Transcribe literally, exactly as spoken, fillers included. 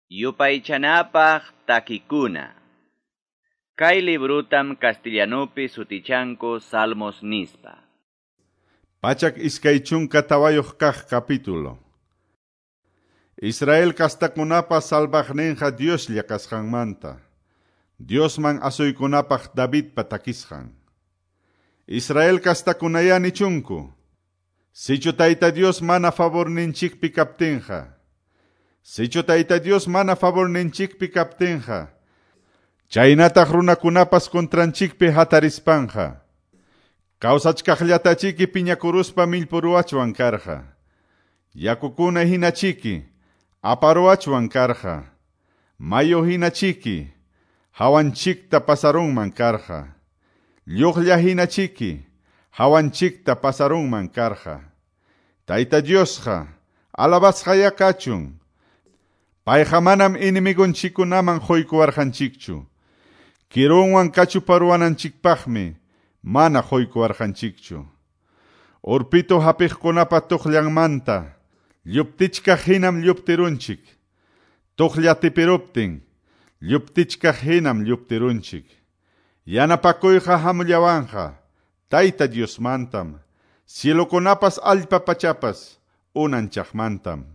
Yupaychanapaq takikuna. Kay librutam castellanupi sutichanku Salmos nispa. Pachak iskay chunka tawayuq kaq capítulo. Israel kastakunapa salvaqninqa Dioslla kasqanmanta. Diosman asuykunapaq Davidpa takisqan. Israel kastakunaya nichunku. Sichu Tayta Dios mana favorninchikpi kaptinqa. Sichu Tayta Dios mana favorninchikpi kaptinqa. Chaynataq runakunapas contranchikpi hatarispanqa. Kawsachkaqllatachiki piñakuruspa millpuruwachwan karqa. Yakukuna hinachiki aparuwachwan karqa. Mayu hinachiki hawanchikta pasarunman karqa. Lluqlla hinachiki hawanchikta pasarunman karqa. Tayta Diosqa alabasqaya kachun. Payqa manam enemigonchikkunaman quykuwarqanchikchu. Kirunwan kachuparuwananchikpaqmi mana quykuwarqanchikchu. Urpitu hapiqkunapa tuqllanmanta lluptichkaq hinam lluptirunchik. Tuqlla tipiruptin lluptichkaq hinam lluptirunchik. Yanapakuyqa hamullawanqa Tayta Diosmantam, cielokunapas allpa pachapas unanchaqmantam.